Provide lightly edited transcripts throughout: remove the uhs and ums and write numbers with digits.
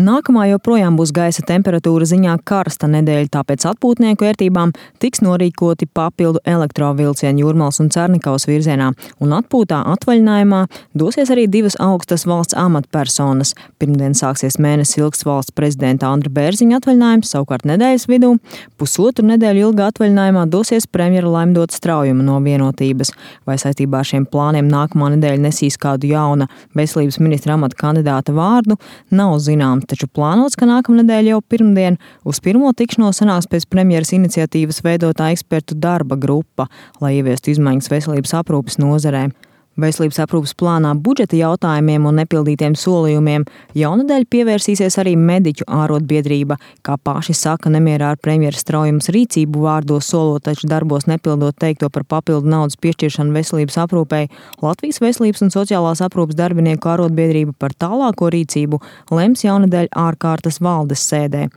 Nākamā joprojām būs gaisa temperatūra ziņā karsta nedēļa, tāpēc atpūtnieku ērtībām tiks norīkoti papildu elektrovilcieni Jūrmalas un Cernikaus virzienā, un atpūtā atvaļinājumā dosies arī divas augstas valsts amatpersonas. Pirmdien sāksies mēnesi ilgs valsts prezidenta Andra Bērziņa atvaļinājums, savukārt nedēļas vidū pusotru nedēļu ilgā atvaļinājumā dosies premjera Laimdota Straujuma no Vienotības. Vai saistībā ar šiem plāniem nākamā nedēļa nesīs kādu jauna veselības ministra amata kandidāta vārdu, nav zināms. Taču plānots, ka nākamnedēļ jau pirmdien uz pirmo tikšanos sanāks pēc premjeras iniciatīvas veidotā ekspertu darba grupa, lai ieviestu izmaiņas veselības aprūpes nozarē. Veselības aprūpes plānā budžeta jautājumiem un nepildītiem solījumiem jaunadēļ pievērsīsies arī mediķu ārotbiedrība, kā paši saka, nemierā ar premjera Straujumas rīcību vārdos solot, taču darbos nepildot teikto par papildu naudas piešķiršanu veselības aprūpei. Latvijas veselības un sociālās aprūpes darbinieku ārotbiedrība par tālāko rīcību lems jaunadēļ ārkārtas valdes sēdē.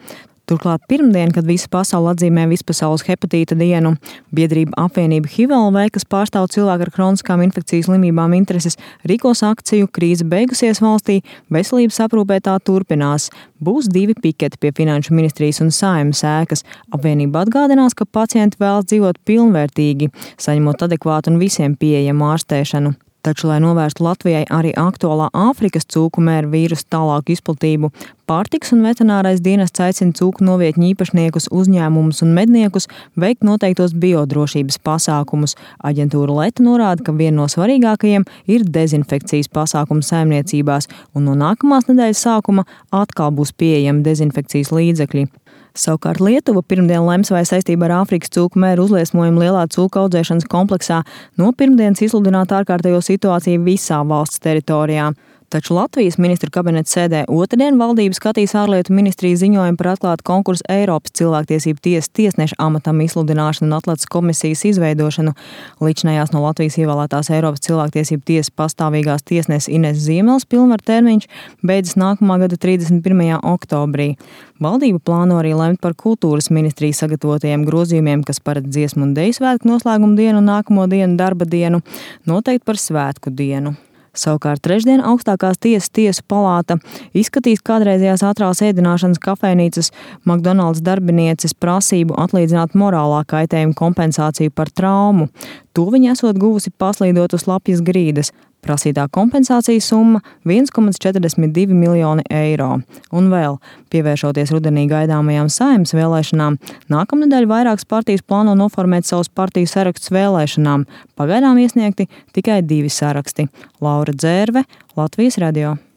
Turklāt pirmdien, kad visa pasaule atzīmē vispasaules hepatīta dienu, biedrība apvienība HIV-LV, kas pārstāv cilvēku ar kroniskām infekcijas slimībām intereses, rīkos akciju Krīze beigusies valstī, veselības aprūpē tā turpinās. Būs 2 piketi pie Finanšu ministrijas un Saeimas ēkas. Apvienība atgādinās, ka pacienti vēlas dzīvot pilnvērtīgi, saņemot adekvātu un visiem pieejamu ārstēšanu. Taču, lai novērstu Latvijai arī aktuālā Āfrikas cūku mēra vīrusu tālāku izplatību, pārtikas un veterinārais dienests aicina cūku novietņu īpašniekus, uzņēmumus un medniekus veikt noteiktos biodrošības pasākumus. Aģentūra Leta norāda, ka viena no svarīgākajiem ir dezinfekcijas pasākumu saimniecībās, un no nākamās nedēļas sākuma atkal būs pieejami dezinfekcijas līdzekļi. Savukārt Lietuva pirmdien lems, vai saistībā ar Āfrikas cūku mēru uzliesmojumu lielā cūku audzēšanas kompleksā no pirmdienas izsludināt ārkārtējo situāciju visā valsts teritorijā. Taču Latvijas ministru kabineta sēdē otrdien valdība skatīs ārlietu ministrijas ziņojumu par atklātu konkursu Eiropas cilvēktiesību tiesas tiesneša amatam izsludināšanu un atlases komisijas izveidošanu. Līdzinājās no Latvijas ievēlētās Eiropas cilvēktiesību tiesas pastāvīgās tiesneses Ines Ziemeles pilnvaru termiņš beidzas nākamā gada 31. oktobrī. Valdība plāno arī lemt par kultūras ministrijas sagatavotajiem grozījumiem, kas paredz dziesmu un deju svētku noslēgumu dienu un nākamo dienu darba dienu, noteikt par svētku dienu. Savukārt trešdien augstākās tiesas tiesu palāta izskatīs kādreizējās ātrās ēdināšanas kafejnīcas McDonald's darbinieces prasību atlīdzināt morālā kaitējuma kompensāciju par traumu. To viņa esot guvusi paslīdot uz lapjas grīdas. Prasītā kompensācijas summa 1,42 miljoni eiro. Un vēl, pievēršoties rudenī gaidāmajām Saeimas vēlēšanām, nākamnedēļ vairākas partijas plāno noformēt savus partiju sarakstus vēlēšanām. Pagaidām iesniegti tikai 2 saraksti. Laura Dzērve, Latvijas radio.